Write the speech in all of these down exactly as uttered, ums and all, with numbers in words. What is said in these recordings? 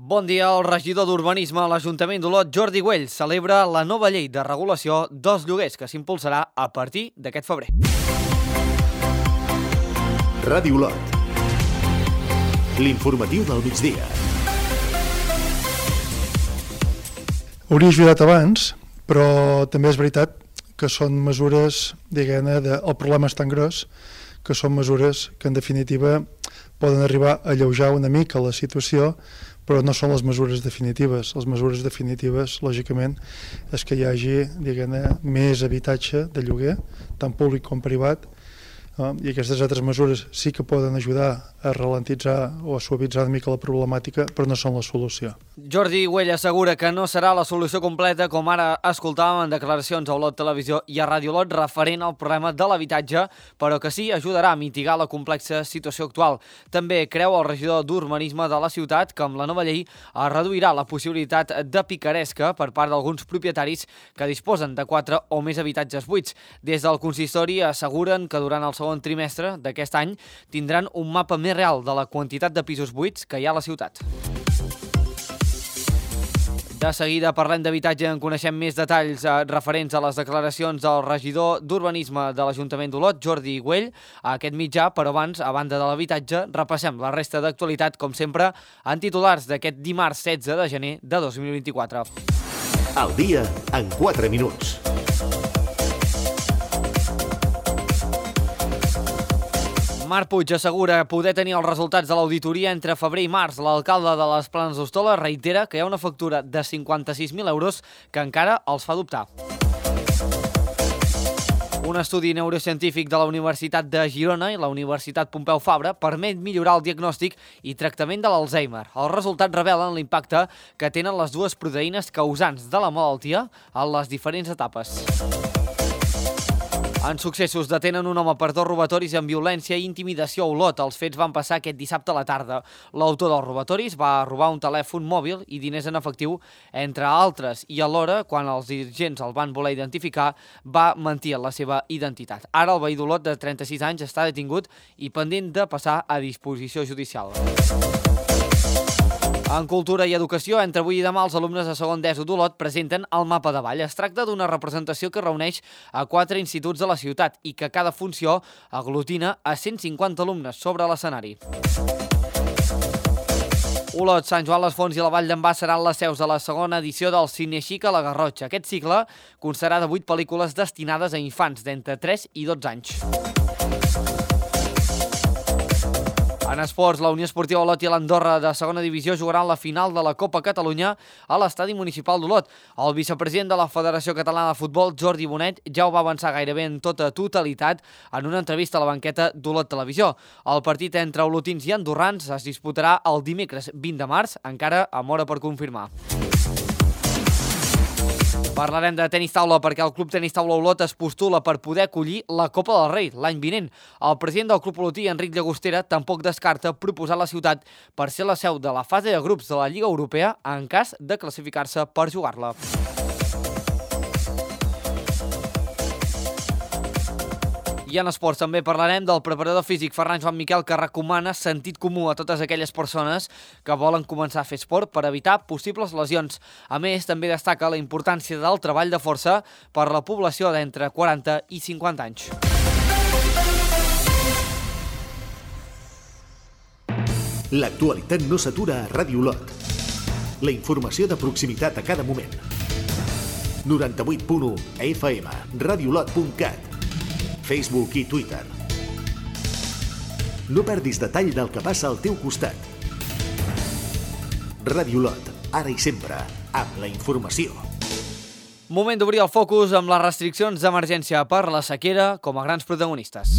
Bon dia. El regidor d'Urbanisme a l'Ajuntament d'Olot, Jordi Güell, celebra la nova llei de regulació dels lloguers que s'impulsarà a partir d'aquest febrer. Ràdio Olot. L'informatiu del migdia. Hauria ajudat abans, però també és veritat que són mesures, diguem-ne, de, el problema és tan gros que són mesures que en definitiva poden arribar a alleujar una mica la situació, però no són les mesures definitives. Les mesures definitives, lògicament, és que hi hagi, diguem-ne, més habitatge de lloguer, tant públic com privat, eh? I aquestes altres mesures sí que poden ajudar a ralentitzar o a suavitzar una mica la problemàtica, però no són la solució. Jordi Güell assegura que no serà la solució completa, com ara escoltàvem en declaracions a Olot Televisió i a Ràdio Olot referent al problema de l'habitatge, però que sí ajudarà a mitigar la complexa situació actual. També creu el regidor d'Urbanisme de la ciutat que amb la nova llei es reduirà la possibilitat de picaresca per part d'alguns propietaris que disposen de quatre o més habitatges buits. Des del consistori asseguren que durant el segon trimestre d'aquest any tindran un mapa més real de la quantitat de pisos buits que hi ha a la ciutat. De seguida parlem d'habitatge, en coneixem més detalls eh, referents a les declaracions del regidor d'Urbanisme de l'Ajuntament d'Olot, Jordi Güell, a aquest mitjà, però abans, a banda de l'habitatge, repassem la resta d'actualitat, com sempre, en titulars d'aquest dimarts setze de gener de dos mil vint-i-quatre. Al dia, en quatre minuts. Marc Puig assegura poder tenir els resultats de l'auditoria entre febrer i març. L'alcalde de les Planes d'Hostoles reitera que hi ha una factura de cinquanta-sis mil euros que encara els fa dubtar. Un estudi neurocientífic de la Universitat de Girona i la Universitat Pompeu Fabra permet millorar el diagnòstic i tractament de l'Alzheimer. Els resultats revelen l'impacte que tenen les dues proteïnes causants de la malaltia en les diferents etapes. En successos, detenen un home per dos robatoris amb violència i intimidació a Olot. Els fets van passar aquest dissabte a la tarda. L'autor dels robatoris va robar un telèfon mòbil i diners en efectiu, entre altres, i alhora, quan els dirigents el van voler identificar, va mentir en la seva identitat. Ara el veí d'Olot, de trenta-sis anys, està detingut i pendent de passar a disposició judicial. En Cultura i Educació, entre avui i demà, els alumnes de segon d'ESO d'Olot presenten el mapa de ball. Es tracta d'una representació que reuneix a quatre instituts de la ciutat i que cada funció aglutina a cent cinquanta alumnes sobre l'escenari. Olot, Sant Joan les Fonts i la Vall d'en Bas seran les seus de la segona edició del Cinexic a la Garrotxa. Aquest cicle constarà de vuit pel·lícules destinades a infants d'entre tres i dotze anys. En esports, la Unió Esportiva Olot i l'Andorra de segona divisió jugaran la final de la Copa Catalunya a l'Estadi Municipal d'Olot. El vicepresident de la Federació Catalana de Futbol, Jordi Bonet, ja ho va avançar gairebé en tota totalitat en una entrevista a la banqueta d'Olot Televisió. El partit entre olotins i andorrans es disputarà el dimecres vint de març, encara amb hora per confirmar. Parlarem de tenis taula perquè el Club Tenis Taula Olot es postula per poder acollir la Copa del Rei l'any vinent. El president del Club Olotí, Enric Llagostera, tampoc descarta proposar la ciutat per ser la seu de la fase de grups de la Lliga Europea en cas de classificar-se per jugar-la. I en esports també parlarem del preparador físic Ferran Joan Miquel, que recomana sentit comú a totes aquelles persones que volen començar a fer esport per evitar possibles lesions. A més, també destaca la importància del treball de força per la població d'entre quaranta i cinquanta anys. L'actualitat no s'atura a Ràdio Olot. La informació de proximitat a cada moment. noranta-vuit punt u F M, radiolot punt cat, Facebook i Twitter. No perdis detall del que passa al teu costat. Ràdio Olot, ara i sempre, amb la informació. Moment d'obrir el focus amb les restriccions d'emergència per la sequera com a grans protagonistes.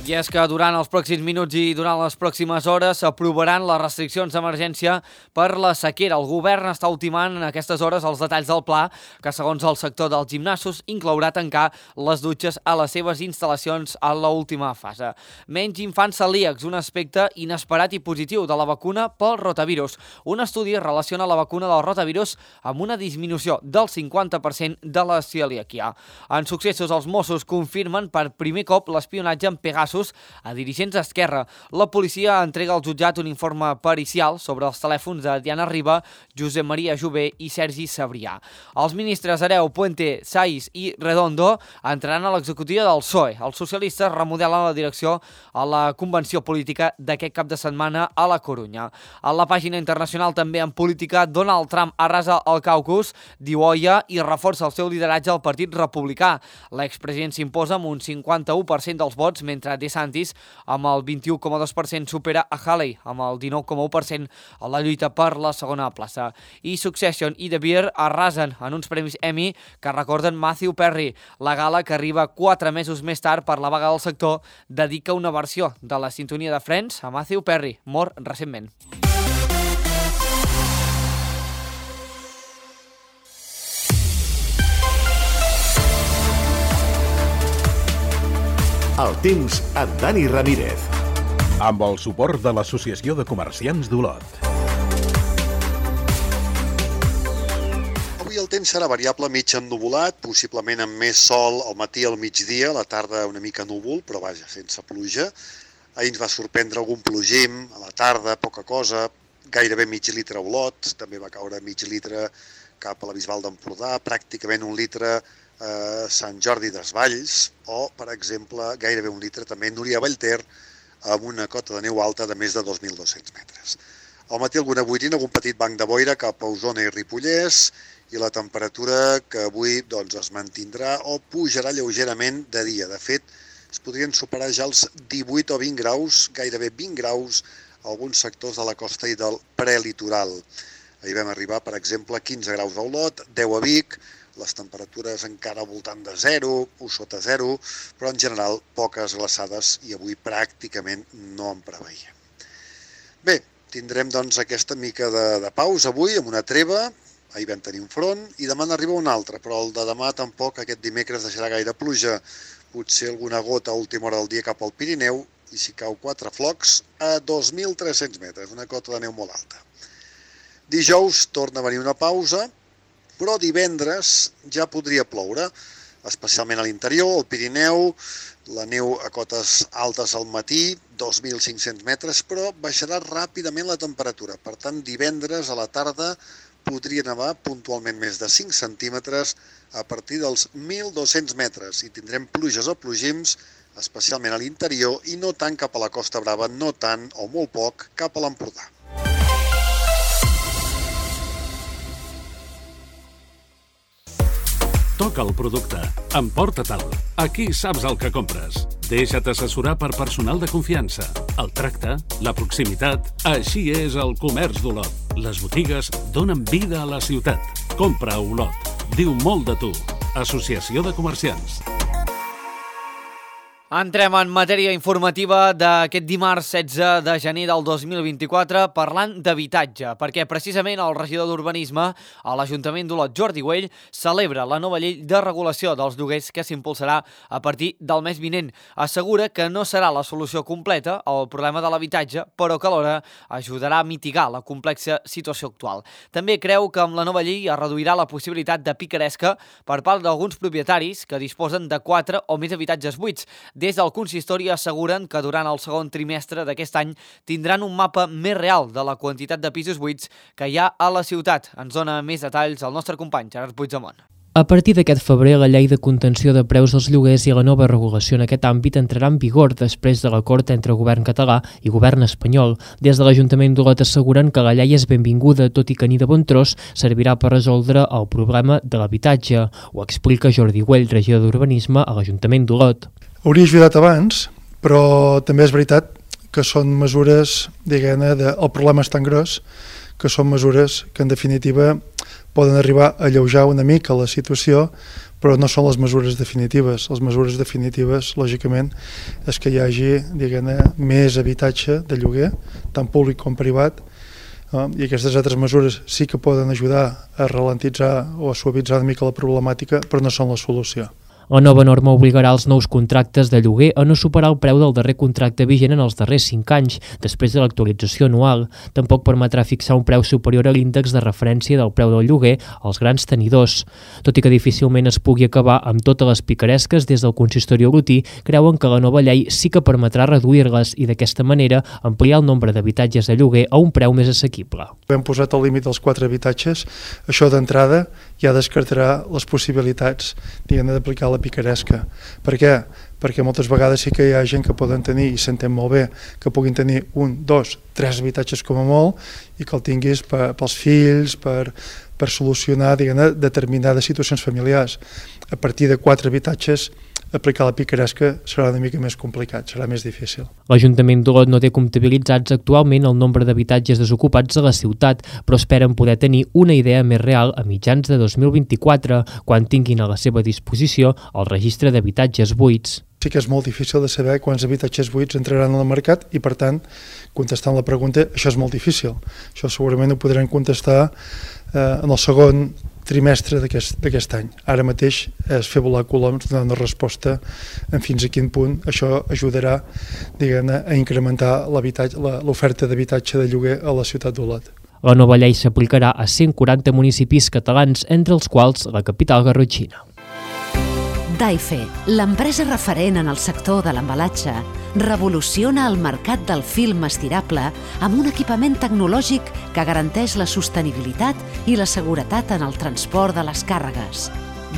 I és que durant els pròxims minuts i durant les pròximes hores s'aprovaran les restriccions d'emergència per la sequera. El govern està ultimant en aquestes hores els detalls del pla que, segons el sector dels gimnasos, inclourà tancar les dutxes a les seves instal·lacions a l'última fase. Menys infants celíacs, un aspecte inesperat i positiu de la vacuna pel rotavirus. Un estudi relaciona la vacuna del rotavirus amb una disminució del cinquanta per cent de la celiaquia. En successos, els Mossos confirmen per primer cop l'espionatge en Pegasus a dirigents d'Esquerra. La policia entrega al jutjat un informe pericial sobre els telèfons de Diana Riba, Josep Maria Jové i Sergi Sabrià. Els ministres Hereu, Puente, Saiz i Redondo entraran a l'executiva del P S O E. Els socialistes remodelen la direcció a la convenció política d'aquest cap de setmana a la Corunya. A la pàgina internacional, també en política, Donald Trump arrasa el caucus, diu Oia, i reforça el seu lideratge al Partit Republicà. L'expresident s'imposa amb un cinquanta-u per cent dels vots, mentre DeSantis, amb el vint-i-u coma dos per cent, supera a Haley, amb el dinou coma u per cent, a la lluita per la segona plaça. I Succession i The Bear arrasen en uns premis Emmy que recorden Matthew Perry. La gala, que arriba quatre mesos més tard per la vaga del sector, dedica una versió de la sintonia de Friends a Matthew Perry, mort recentment. El temps amb Dani Ramírez. Amb el suport de l'Associació de Comerciants d'Olot. Avui el temps serà variable, mig ennuvolat, possiblement amb més sol al matí al migdia, a la tarda una mica núvol, però vaja, sense pluja. Ahir ens va sorprendre algun plogim, a la tarda poca cosa, gairebé mig litre a Olot, també va caure mig litre cap a la Bisbal d'Empordà, pràcticament un litre a Sant Jordi Desvalls o, per exemple, gairebé un litre també a Núria Vallter amb una cota de neu alta de més de dos mil dos-cents metres. Al matí alguna boirina, algun petit banc de boira cap a Osona i Ripollès i la temperatura que avui doncs, es mantindrà o pujarà lleugerament de dia. De fet, es podrien superar ja els divuit o vint graus, gairebé vint graus, a alguns sectors de la costa i del prelitoral. Ahir vam arribar, per exemple, a quinze graus a Olot, deu a Vic, les temperatures encara al voltant de zero o sota zero, però en general poques glaçades i avui pràcticament no en preveiem. Bé, tindrem doncs aquesta mica de, de pausa avui amb una treva, ahir vam tenir un front i demà n'arriba un altre, però el de demà tampoc aquest dimecres deixarà gaire pluja, potser alguna gota a última hora del dia cap al Pirineu i si cau quatre flocs a dos mil tres-cents metres, una cota de neu molt alta. Dijous torna a venir una pausa, però divendres ja podria ploure, especialment a l'interior, al Pirineu, la neu a cotes altes al matí, dos mil cinc-cents metres, però baixarà ràpidament la temperatura. Per tant, divendres a la tarda podria nevar puntualment més de cinc centímetres a partir dels mil dos-cents metres i tindrem pluges o plogims, especialment a l'interior i no tant cap a la Costa Brava, no tant o molt poc cap a l'Empordà. Toca el producte, emporta-te'l. Aquí saps el que compres. Deixa't assessorar per personal de confiança. El tracte, la proximitat, així és el comerç d'Olot. Les botigues donen vida a la ciutat. Compra a Olot. Diu molt de tu. Associació de Comerciants. Entrem en matèria informativa d'aquest dimarts setze de gener del dos mil vint-i-quatre parlant d'habitatge, perquè precisament el regidor d'Urbanisme a l'Ajuntament d'Olot, Jordi Güell, celebra la nova llei de regulació dels lloguers que s'impulsarà a partir del mes vinent. Assegura que no serà la solució completa al problema de l'habitatge, però que alhora ajudarà a mitigar la complexa situació actual. També creu que amb la nova llei es reduirà la possibilitat de picaresca per part d'alguns propietaris que disposen de quatre o més habitatges buits. Des del consistori asseguren que durant el segon trimestre d'aquest any tindran un mapa més real de la quantitat de pisos buits que hi ha a la ciutat. Ens dona més detalls el nostre company Gerard Puigdemont. A partir d'aquest febrer, la llei de contenció de preus dels lloguers i la nova regulació en aquest àmbit entrarà en vigor després de l'acord entre el govern català i govern espanyol. Des de l'Ajuntament d'Olot asseguren que la llei és benvinguda, tot i que ni de bon tros servirà per resoldre el problema de l'habitatge. Ho explica Jordi Güell, regidor d'Urbanisme a l'Ajuntament d'Olot. Hauria ajudat abans, però també és veritat que són mesures, diguem-ne, de, el problema és tan gros que són mesures que en definitiva poden arribar a alleujar una mica la situació, però no són les mesures definitives. Les mesures definitives, lògicament, és que hi hagi, diguem-ne, més habitatge de lloguer, tant públic com privat, eh? I aquestes altres mesures sí que poden ajudar a ralentitzar o a suavitzar una mica la problemàtica, però no són la solució. La nova norma obligarà els nous contractes de lloguer a no superar el preu del darrer contracte vigent en els darrers cinc anys, després de l'actualització anual. Tampoc permetrà fixar un preu superior a l'índex de referència del preu del lloguer als grans tenidors. Tot i que difícilment es pugui acabar amb totes les picaresques, des del consistori olotí creuen que la nova llei sí que permetrà reduir-les i d'aquesta manera ampliar el nombre d'habitatges de lloguer a un preu més assequible. Hem posat el límit dels quatre habitatges. Això d'entrada ja descartarà les possibilitats, diguem-ne, d'aplicar la picaresca. Per què? Perquè moltes vegades sí que hi ha gent que poden tenir, i s'entén molt bé, que puguin tenir un, dos, tres habitatges com a molt i que el tinguis per, pels fills, per, per solucionar, diguem-ne, determinades situacions familiars. A partir de quatre habitatges, aplicar la picaresca serà una mica més complicat, serà més difícil. L'Ajuntament d'Olot no té comptabilitzats actualment el nombre d'habitatges desocupats a la ciutat, però esperen poder tenir una idea més real a mitjans de dos mil vint-i-quatre, quan tinguin a la seva disposició el registre d'habitatges buits. Sí que és molt difícil de saber quants habitatges buits entraran al mercat i, per tant, contestant la pregunta, això és molt difícil. Això segurament ho podrem contestar eh, en el segon trimestre d'aquest any. Ara mateix és fer volar coloms, donar una resposta en fins a quin punt això ajudarà, diguem-ne, a incrementar l'oferta d'habitatge de lloguer a la ciutat d'Olot. La nova llei s'aplicarà a cent quaranta municipis catalans, entre els quals la capital garrotxina. Daife, l'empresa referent en el sector de l'embalatge, revoluciona el mercat del film estirable amb un equipament tecnològic que garanteix la sostenibilitat i la seguretat en el transport de les càrregues.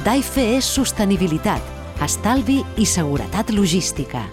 Daife és sostenibilitat, estalvi i seguretat logística.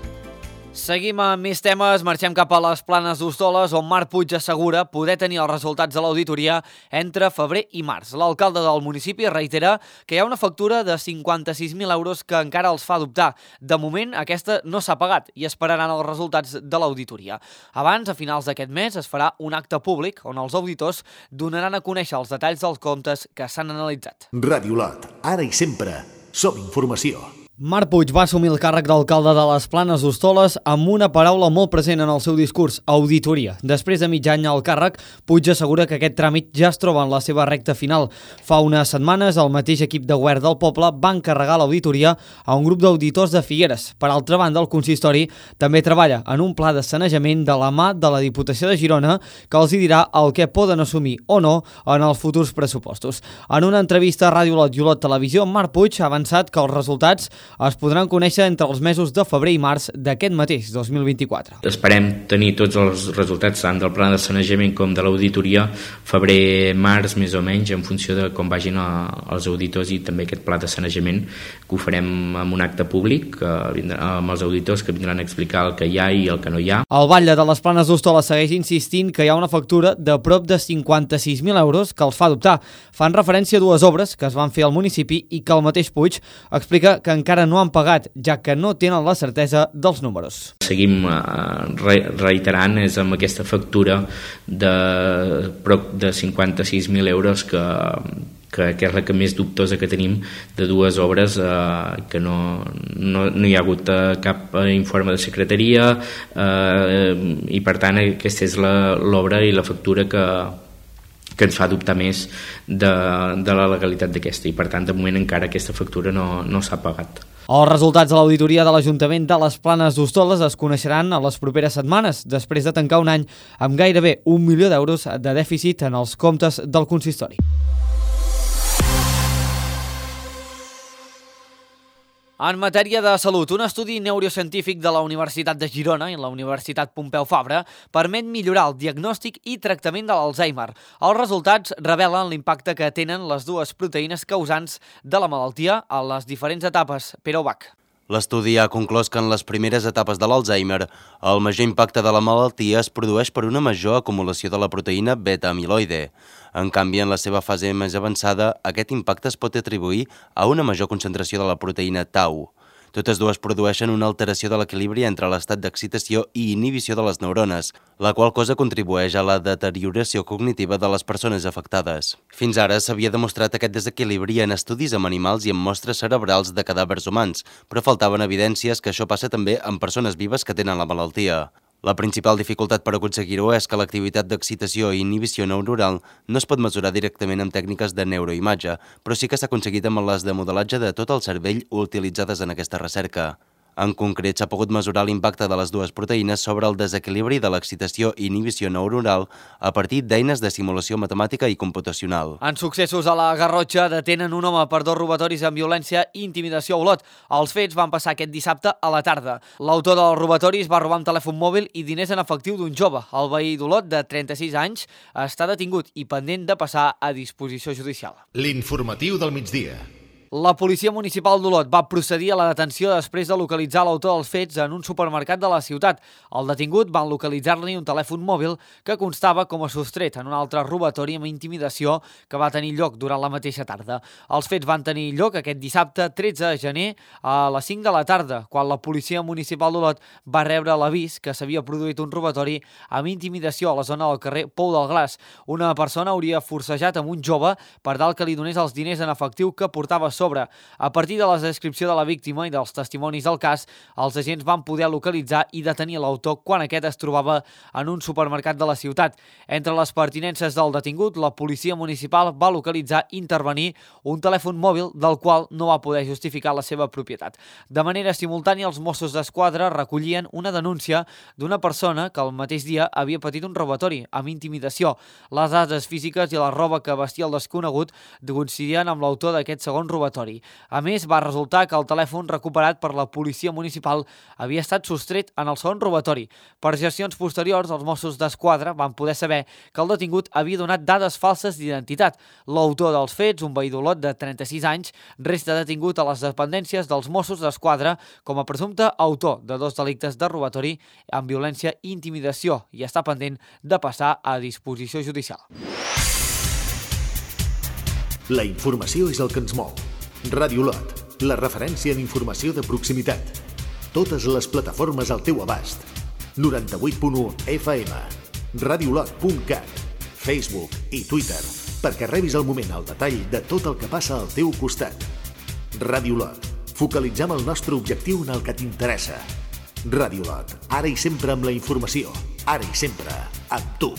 Seguim amb més temes, marxem cap a les Planes d'Hostoles, on Marc Puig assegura poder tenir els resultats de l'auditoria entre febrer i març. L'alcalde del municipi reitera que hi ha una factura de cinquanta-sis mil euros que encara els fa dubtar. De moment, aquesta no s'ha pagat i esperaran els resultats de l'auditoria. Abans, a finals d'aquest mes, es farà un acte públic on els auditors donaran a conèixer els detalls dels comptes que s'han analitzat. Ràdio Olot, ara i sempre, som informació. Marc Puig va assumir el càrrec d'alcalde de les Planes d'Hostoles amb una paraula molt present en el seu discurs, auditoria. Després de mig any al càrrec, Puig assegura que aquest tràmit ja es troba en la seva recta final. Fa unes setmanes, el mateix equip de govern del poble va encarregar l'auditoria a un grup d'auditors de Figueres. Per altra banda, el consistori també treballa en un pla de sanejament de la mà de la Diputació de Girona que els hi dirà el que poden assumir o no en els futurs pressupostos. En una entrevista a Ràdio Olot i Olot Televisió, Marc Puig ha avançat que els resultats es podran conèixer entre els mesos de febrer i març d'aquest mateix dos mil vint-i-quatre. Esperem tenir tots els resultats tant del pla de sanejament com de l'auditoria febrer-març més o menys, en funció de com vagin els auditors i també aquest pla de sanejament, que ho farem amb un acte públic amb els auditors que vindran a explicar el que hi ha i el que no hi ha. El batlle de les Planes d'Hostoles segueix insistint que hi ha una factura de prop de cinquanta-sis mil euros que els fa dubtar. Fan referència a dues obres que es van fer al municipi i que el mateix Puig explica que encara no han pagat, ja que no tenen la certesa dels números. Seguim eh, reiterant, és amb aquesta factura de prop de cinquanta-sis mil euros que, que, que és la que més dubtosa que tenim de dues obres eh, que no, no, no hi ha hagut eh, cap informe de secretaria eh, i per tant aquesta és l'obra i la factura que que ens fa dubtar més de, de la legalitat d'aquesta i per tant de moment encara aquesta factura no, no s'ha pagat. Els resultats de l'auditoria de l'Ajuntament de les Planes d'Hostoles es coneixeran a les properes setmanes, després de tancar un any amb gairebé un milió d'euros de dèficit en els comptes del consistori. En matèria de salut, un estudi neurocientífic de la Universitat de Girona i la Universitat Pompeu Fabra permet millorar el diagnòstic i tractament de l'Alzheimer. Els resultats revelen l'impacte que tenen les dues proteïnes causants de la malaltia a les diferents etapes. Pere Ubach. L'estudi ha conclòs que en les primeres etapes de l'Alzheimer, el major impacte de la malaltia es produeix per una major acumulació de la proteïna beta-amiloide. En canvi, en la seva fase més avançada, aquest impacte es pot atribuir a una major concentració de la proteïna tau. Totes dues produeixen una alteració de l'equilibri entre l'estat d'excitació i inhibició de les neurones, la qual cosa contribueix a la deterioració cognitiva de les persones afectades. Fins ara s'havia demostrat aquest desequilibri en estudis amb animals i en mostres cerebrals de cadàvers humans, però faltaven evidències que això passa també en persones vives que tenen la malaltia. La principal dificultat per aconseguir-ho és que l'activitat d'excitació i inhibició neuronal no es pot mesurar directament amb tècniques de neuroimatge, però sí que s'ha aconseguit amb les de modelatge de tot el cervell utilitzades en aquesta recerca. En concret, s'ha pogut mesurar l'impacte de les dues proteïnes sobre el desequilibri de l'excitació i inhibició neuronal a partir d'eines de simulació matemàtica i computacional. En successos a la Garrotxa detenen un home per dos robatoris amb violència i intimidació a Olot. Els fets van passar aquest dissabte a la tarda. L'autor dels robatoris va robar un telèfon mòbil i diners en efectiu d'un jove. El veí d'Olot, de trenta-sis anys, està detingut i pendent de passar a disposició judicial. L'informatiu del migdia. La policia municipal d'Olot va procedir a la detenció després de localitzar l'autor dels fets en un supermercat de la ciutat. El detingut van localitzar-li un telèfon mòbil que constava com a sostret en un altre robatori amb intimidació que va tenir lloc durant la mateixa tarda. Els fets van tenir lloc aquest dissabte tretze de gener a les cinc de la tarda, quan la policia municipal d'Olot va rebre l'avís que s'havia produït un robatori amb intimidació a la zona del carrer Pou del Glas. Una persona hauria forcejat amb un jove per tal que li donés els diners en efectiu que portava sobre. A partir de la descripció de la víctima i dels testimonis del cas, els agents van poder localitzar i detenir l'autor quan aquest es trobava en un supermercat de la ciutat. Entre les pertinences del detingut, la policia municipal va localitzar i intervenir un telèfon mòbil del qual no va poder justificar la seva propietat. De manera simultània, els Mossos d'Esquadra recollien una denúncia d'una persona que el mateix dia havia patit un robatori amb intimidació. Les dades físiques i la roba que vestia el desconegut coincidien amb l'autor d'aquest segon robatori. A més, va resultar que el telèfon recuperat per la policia municipal havia estat sostret en el segon robatori. Per gestions posteriors, els Mossos d'Esquadra van poder saber que el detingut havia donat dades falses d'identitat. L'autor dels fets, un veí d'Olot de trenta-sis anys, resta detingut a les dependències dels Mossos d'Esquadra com a presumpte autor de dos delictes de robatori amb violència i intimidació i està pendent de passar a disposició judicial. La informació és el que ens mou. Ràdio Olot, la referència en informació de proximitat. Totes les plataformes al teu abast. noranta-vuit punt u F M, radiolot punt cat, Facebook i Twitter, perquè rebis al moment el detall de tot el que passa al teu costat. Ràdio Olot, focalitzem el nostre objectiu en el que t'interessa. Ràdio Olot, ara i sempre amb la informació, ara i sempre amb tu.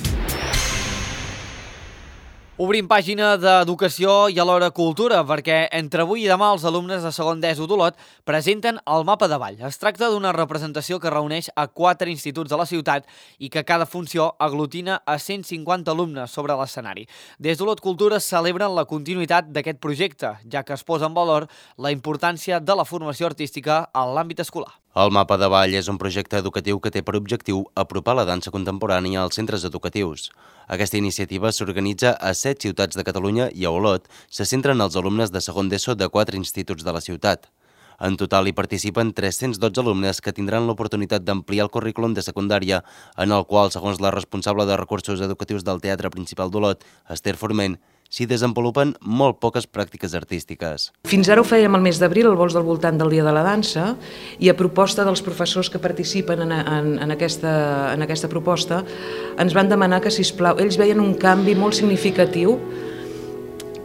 Obrim pàgina d'Educació i alhora Cultura, perquè entre avui i demà els alumnes de segon d'ESO d'Olot presenten el mapa de ball. Es tracta d'una representació que reuneix a quatre instituts de la ciutat i que cada funció aglutina a cent cinquanta alumnes sobre l'escenari. Des d'Olot Cultura celebren la continuïtat d'aquest projecte, ja que es posa en valor la importància de la formació artística en l'àmbit escolar. El mapa de ball és un projecte educatiu que té per objectiu apropar la dansa contemporània als centres educatius. Aquesta iniciativa s'organitza a set ciutats de Catalunya i a Olot se centren els alumnes de segon d'ESO de quatre instituts de la ciutat. En total hi participen tres-cents dotze alumnes que tindran l'oportunitat d'ampliar el currículum de secundària, en el qual, segons la responsable de recursos educatius del Teatre Principal d'Olot, Esther Forment, s'hi desenvolupen molt poques pràctiques artístiques. Fins ara ho fèiem al mes d'abril, al vols del voltant del Dia de la Dansa, i a proposta dels professors que participen en, en, en, aquesta, en aquesta proposta, ens van demanar que, sisplau, ells veien un canvi molt significatiu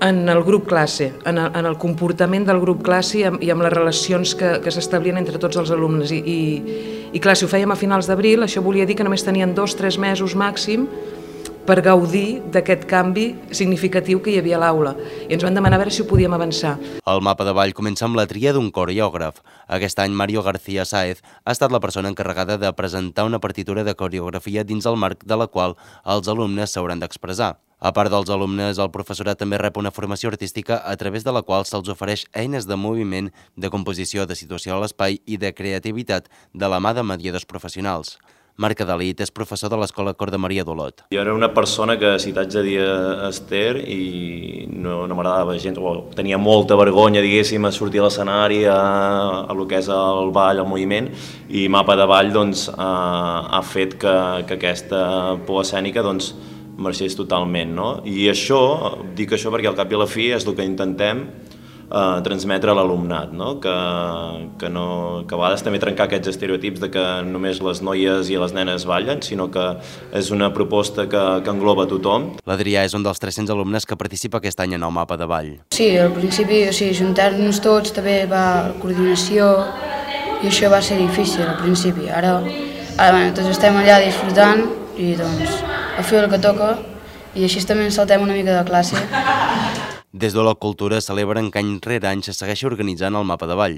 en el grup classe, en el, en el comportament del grup classe i amb, i amb les relacions que, que s'establien entre tots els alumnes. I, i, i clar, si ho fèiem a finals d'abril, això volia dir que només tenien dos o tres mesos màxim per gaudir d'aquest canvi significatiu que hi havia a l'aula. I ens van demanar a veure si ho podíem avançar. El mapa de ball comença amb la tria d'un coreògraf. Aquest any, Mario García Sáez ha estat la persona encarregada de presentar una partitura de coreografia dins el marc de la qual els alumnes s'hauran d'expressar. A part dels alumnes, el professorat també rep una formació artística a través de la qual se'ls ofereix eines de moviment, de composició, de situació a l'espai i de creativitat de la mà de mediadors professionals. Marc Adalit és professor de l'Escola Cor de Maria d'Olot. Jo era una persona que, si t'haig de dir a Esther, i no, no m'agradava gens, o tenia molta vergonya, diguéssim, a sortir a l'escenari, a, a lo que és el ball, el moviment, i Mapa de Ball doncs, ha, ha fet que, que aquesta por escènica doncs, marxés totalment. No? I això, dic això perquè al cap i a la fi és el que intentem eh, transmetre a l'alumnat, no? Que, que, no, que a vegades també trencar aquests estereotips de que només les noies i les nenes ballen, sinó que és una proposta que, que engloba tothom. L'Adrià és un dels tres-cents alumnes que participa aquest any en el mapa de ball. Sí, al principi, o sigui, juntar-nos tots també va coordinació i això va ser difícil al principi. Ara, ara bueno, tots estem allà disfrutant i doncs a fer el que toca i així també ens saltem una mica de classe. Des de la Cultura celebren que any rere any se segueixi organitzant el mapa de ball.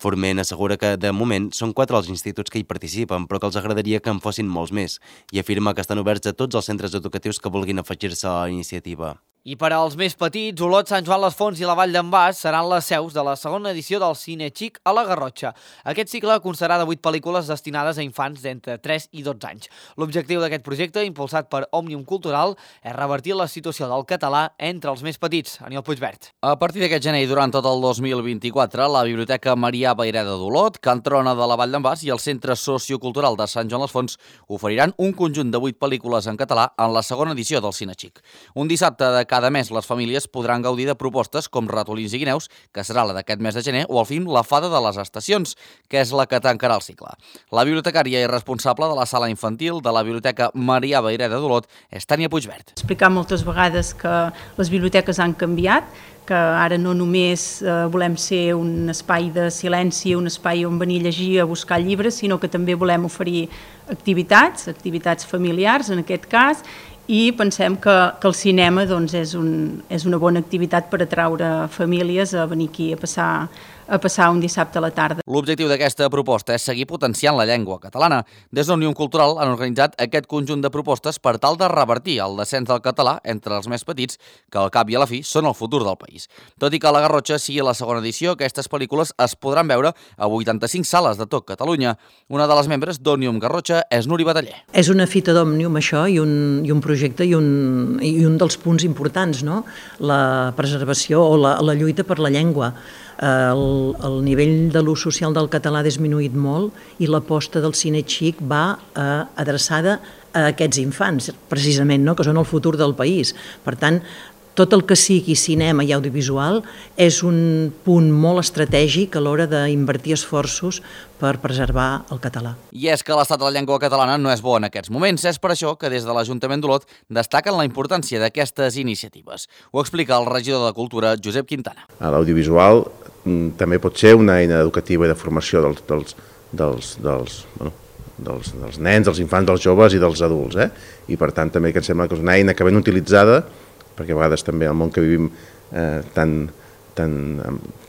Forment assegura que, de moment, són quatre els instituts que hi participen, però que els agradaria que en fossin molts més, i afirma que estan oberts a tots els centres educatius que vulguin afegir-se a la iniciativa. I per als més petits, Olot, Sant Joan les Fonts i la Vall d'en Bas seran les seus de la segona edició del Cine Xic a la Garrotxa. Aquest cicle constarà de vuit pel·lícules destinades a infants d'entre tres i dotze anys. L'objectiu d'aquest projecte, impulsat per Òmnium Cultural, és revertir la situació del català entre els més petits. Aniol Puigvert. A partir d'aquest gener i durant tot el dos mil vint-i-quatre, la Biblioteca Marià Vayreda d'Olot, Can Trona de la Vall d'en Bas i el Centre Sociocultural de Sant Joan les Fonts oferiran un conjunt de vuit pel·lícules en català en la segona edició del Cine Xic. Un dissabte de cada mes, les famílies podran gaudir de propostes com Ratolins i Guineus, que serà la d'aquest mes de gener, o el film La Fada de les Estacions, que és la que tancarà el cicle. La bibliotecària i responsable de la sala infantil de la Biblioteca Marià Vayreda d'Olot és Tània Puigvert. Explicar moltes vegades que les biblioteques han canviat, que ara no només eh, volem ser un espai de silenci, un espai on venir a llegir, a buscar llibres, sinó que també volem oferir activitats, activitats familiars en aquest cas, i pensem que, que el cinema doncs, és, un, és una bona activitat per atraure famílies a venir aquí a passar, a passar un dissabte a la tarda. L'objectiu d'aquesta proposta és seguir potenciant la llengua catalana. Des d'Òmnium Cultural han organitzat aquest conjunt de propostes per tal de revertir el descens del català entre els més petits, que al cap i a la fi són el futur del país. Tot i que la Garrotxa sigui la segona edició, aquestes pel·lícules es podran veure a vuitanta-cinc sales de tot Catalunya. Una de les membres d'Òmnium Garrotxa és Núria Bataller. És una fita d'Òmnium, això, i un, i un projecte i un, i un dels punts importants, no? La preservació o la, la lluita per la llengua. El, el nivell de l'ús social del català ha disminuït molt i l'aposta del Cine Xic va eh, adreçada a aquests infants, precisament, no? Que són el futur del país. Per tant, tot el que sigui cinema i audiovisual és un punt molt estratègic a l'hora d'invertir esforços per preservar el català. I és que l'estat de la llengua catalana no és bo en aquests moments. És per això que des de l'Ajuntament d'Olot destaquen la importància d'aquestes iniciatives. Ho explica el regidor de Cultura, Josep Quintana. L'audiovisual també pot ser una eina educativa i de formació dels, dels, dels, dels, bueno, dels, dels nens, dels infants, dels joves i dels adults. Eh? I per tant també que em sembla que és una eina que ben utilitzada, perquè a vegades també el món que vivim eh, tan, tan,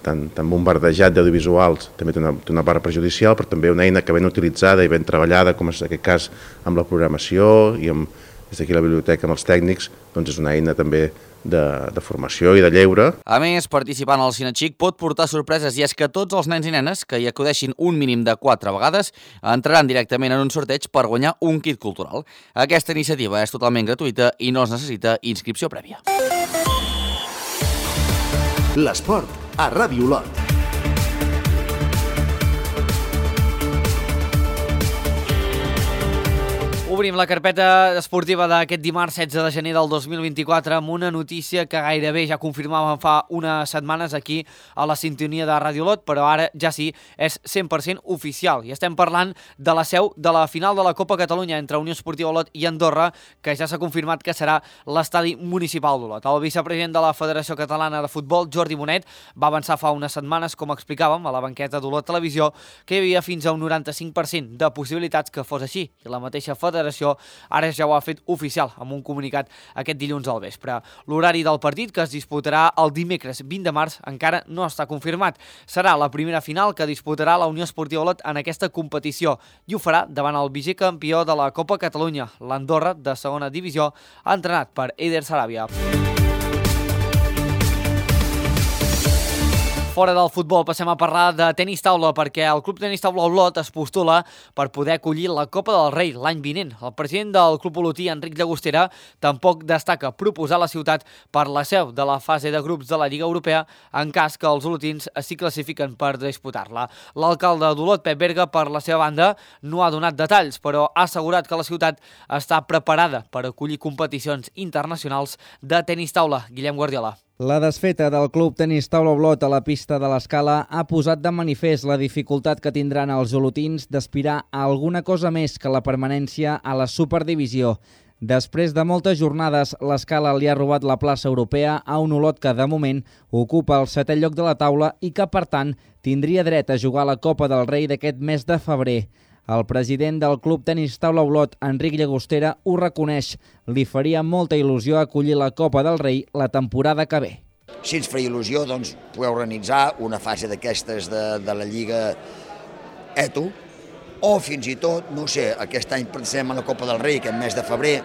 tan, tan bombardejat d'audiovisuals també té una, té una part perjudicial, però també una eina que ben utilitzada i ben treballada, com és en aquest cas amb la programació i amb, des d'aquí la biblioteca amb els tècnics, doncs és una eina també de, de formació i de lleure. A més, participant al Cine Xic pot portar sorpreses, i és que tots els nens i nenes que hi acudeixin un mínim de quatre vegades entraran directament en un sorteig per guanyar un kit cultural. Aquesta iniciativa és totalment gratuïta i no es necessita inscripció prèvia. L'esport a Ràdio Olot. Obrim la carpeta esportiva d'aquest dimarts setze de gener del dos mil vint-i-quatre amb una notícia que gairebé ja confirmàvem fa unes setmanes aquí a la sintonia de Ràdio Olot, però ara ja sí, és cent per cent oficial. I estem parlant de la seu de la final de la Copa Catalunya entre Unió Esportiva Olot i Andorra, que ja s'ha confirmat que serà l'estadi municipal d'Olot. El vicepresident de la Federació Catalana de Futbol, Jordi Bonet, va avançar fa unes setmanes, com explicàvem, a la banqueta d'Olot Televisió, que hi havia fins a un noranta-cinc per cent de possibilitats que fos així. I la mateixa federació ara ja ho ha fet oficial amb un comunicat aquest dilluns al vespre. L'horari del partit, que es disputarà el dimecres vint de març, encara no està confirmat. Serà la primera final que disputarà la Unió Esportiva Olot en aquesta competició i ho farà davant el vicecampió de la Copa Catalunya, l'Andorra, de segona divisió, entrenat per Eider Saràbia. Fora del futbol passem a parlar de tenis taula, perquè el Club Tenis Taula Olot es postula per poder acollir la Copa del Rei l'any vinent. El president del Club Olotí, Enric Llagostera, tampoc destaca proposar la ciutat per la seu de la fase de grups de la Lliga Europea en cas que els olotins s'hi classifiquen per disputar-la. L'alcalde d'Olot, Pep Berga, per la seva banda, no ha donat detalls, però ha assegurat que la ciutat està preparada per acollir competicions internacionals de tenis taula. Guillem Guardiola. La desfeta del Club Tenis Taula Olot a la pista de l'Escala ha posat de manifest la dificultat que tindran els olotins d'aspirar a alguna cosa més que la permanència a la Superdivisió. Després de moltes jornades, l'Escala li ha robat la plaça europea a un Olot que, de moment, ocupa el setè lloc de la taula i que, per tant, tindria dret a jugar la Copa del Rei d'aquest mes de febrer. El president del Club Tenis Taula Olot, Enric Llagostera, ho reconeix. Li faria molta il·lusió acollir la Copa del Rei la temporada que ve. Si ens faria il·lusió, doncs, poder organitzar una fase d'aquestes de, de la Lliga Eto, o fins i tot, no sé, aquest any pensem en la Copa del Rei, aquest mes de febrer,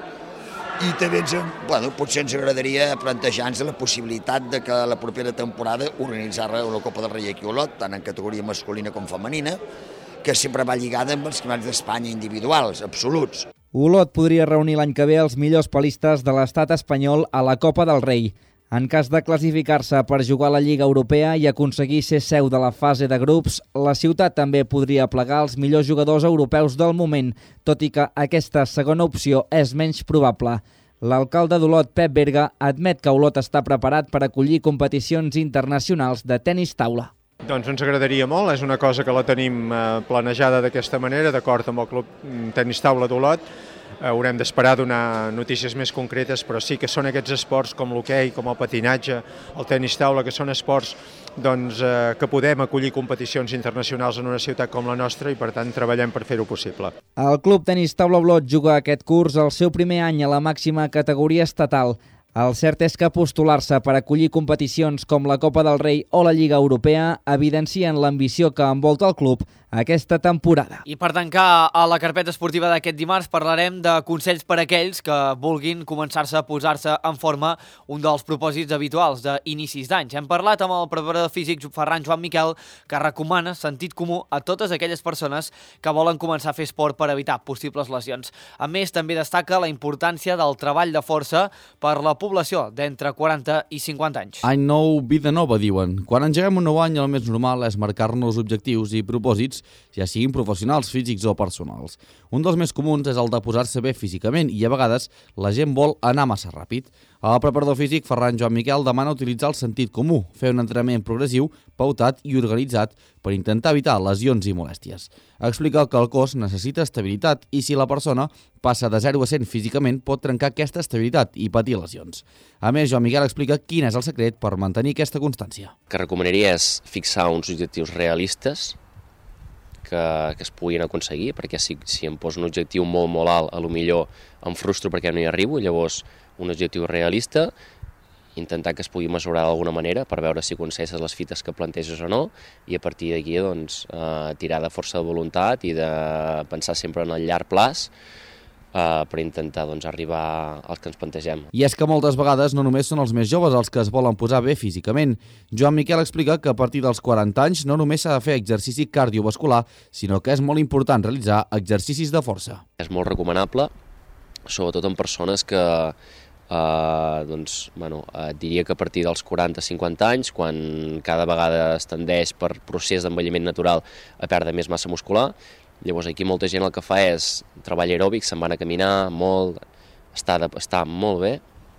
i també ens, bueno, potser ens agradaria plantejar-nos la possibilitat de que la propera temporada organitzar la Copa del Rei aquí a Olot, tant en categoria masculina com femenina, que sempre va lligada amb els campionats d'Espanya individuals, absoluts. Olot podria reunir l'any que ve els millors palistes de l'estat espanyol a la Copa del Rei. En cas de classificar-se per jugar a la Lliga Europea i aconseguir ser seu de la fase de grups, la ciutat també podria plegar els millors jugadors europeus del moment, tot i que aquesta segona opció és menys probable. L'alcalde d'Olot, Pep Berga, admet que Olot està preparat per acollir competicions internacionals de tenis taula. Doncs ens agradaria molt, és una cosa que la tenim planejada d'aquesta manera, d'acord amb el Club Tenis Taula d'Olot. Haurem d'esperar donar notícies més concretes, però sí que són aquests esports com l'hoquei, com el patinatge, el tenis taula, que són esports doncs, eh, que podem acollir competicions internacionals en una ciutat com la nostra i per tant treballem per fer-ho possible. El Club Tenis Taula Olot juga aquest curs el seu primer any a la màxima categoria estatal. El cert és que postular-se per acollir competicions com la Copa del Rei o la Lliga Europea evidencien l'ambició que envolta el club aquesta temporada. I per tancar a la carpeta esportiva d'aquest dimarts parlarem de consells per a aquells que vulguin començar-se a posar-se en forma, un dels propòsits habituals d'inicis d'anys. Hem parlat amb el preparador físic Ferran Joan Miquel, que recomana sentit comú a totes aquelles persones que volen començar a fer esport per evitar possibles lesions. A més, també destaca la importància del treball de força per la població d'entre quaranta i cinquanta anys. Any nou, vida nova, diuen. Quan engeguem un nou any, el més normal és marcar-nos objectius i propòsits, ja siguin professionals, físics o personals. Un dels més comuns és el de posar-se bé físicament i a vegades la gent vol anar massa ràpid. El preparador físic Ferran Joan Miquel demana utilitzar el sentit comú, fer un entrenament progressiu, pautat i organitzat per intentar evitar lesions i molèsties. Explica que el cos necessita estabilitat i si la persona passa de zero a cent físicament pot trencar aquesta estabilitat i patir lesions. A més, Joan Miquel explica quin és el secret per mantenir aquesta constància. El que recomanaria és fixar uns objectius realistes que, que es puguin aconseguir, perquè si, si em poso un objectiu molt, molt alt, a lo millor em frustro perquè no hi arribo, llavors un objectiu realista, intentar que es pugui mesurar d'alguna manera per veure si aconsegueixes les fites que planteges o no, i a partir d'aquí doncs, eh, tirar de força de voluntat i de pensar sempre en el llarg plaç, Uh, per intentar doncs, arribar als que ens plantegem. I és que moltes vegades no només són els més joves els que es volen posar bé físicament. Joan Miquel explica que a partir dels quaranta anys no només s'ha de fer exercici cardiovascular, sinó que és molt important realitzar exercicis de força. És molt recomanable, sobretot en persones que Uh, doncs, bueno, uh, diria que a partir dels quaranta a cinquanta anys, quan cada vegada es tendeix per procés d'envelliment natural a perdre més massa muscular, llavors aquí molta gent el que fa és treball aeròbic, se'n van a caminar molt, està, de, està molt bé,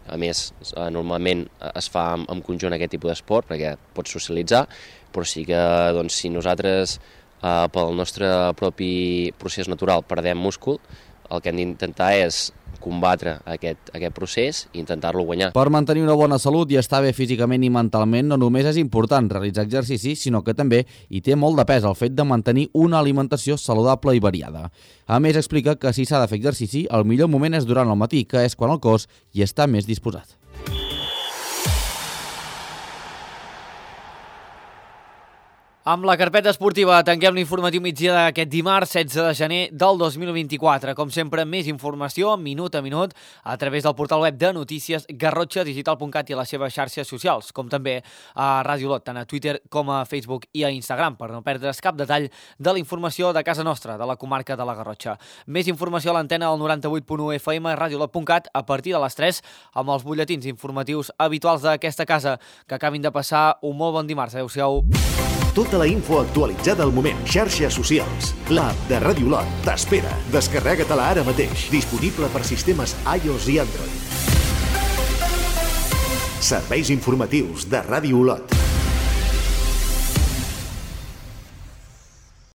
a més uh, normalment es fa en, en conjunt aquest tipus d'esport perquè pots socialitzar, però sí que doncs, si nosaltres uh, pel nostre propi procés natural perdem múscul, el que hem d'intentar és combatre aquest, aquest procés i intentar-lo guanyar. Per mantenir una bona salut i estar bé físicament i mentalment no només és important realitzar exercici, sinó que també hi té molt de pes el fet de mantenir una alimentació saludable i variada. A més, explica que si s'ha de fer exercici, el millor moment és durant el matí, que és quan el cos hi està més disposat. Amb la carpeta esportiva tanquem l'informatiu migdia d'aquest dimarts setze de gener del dos mil vint-i-quatre. Com sempre, més informació minut a minut a través del portal web de notícies garrotxa digital punt cat i a les seves xarxes socials, com també a Ràdio Olot, tant a Twitter com a Facebook i a Instagram, per no perdre's cap detall de la informació de casa nostra, de la comarca de la Garrotxa. Més informació a l'antena del noranta-vuit punt u F M, Ràdio Olot punt cat, a partir de les tres, amb els butlletins informatius habituals d'aquesta casa. Que acabin de passar un molt bon dimarts. Adéu-siau. Tota la info actualitzada al moment. Xarxes socials. L'app de Ràdio Olot t'espera. Descarrega-te-la ara mateix. Disponible per sistemes iOS i Android. Serveis informatius de Ràdio Olot.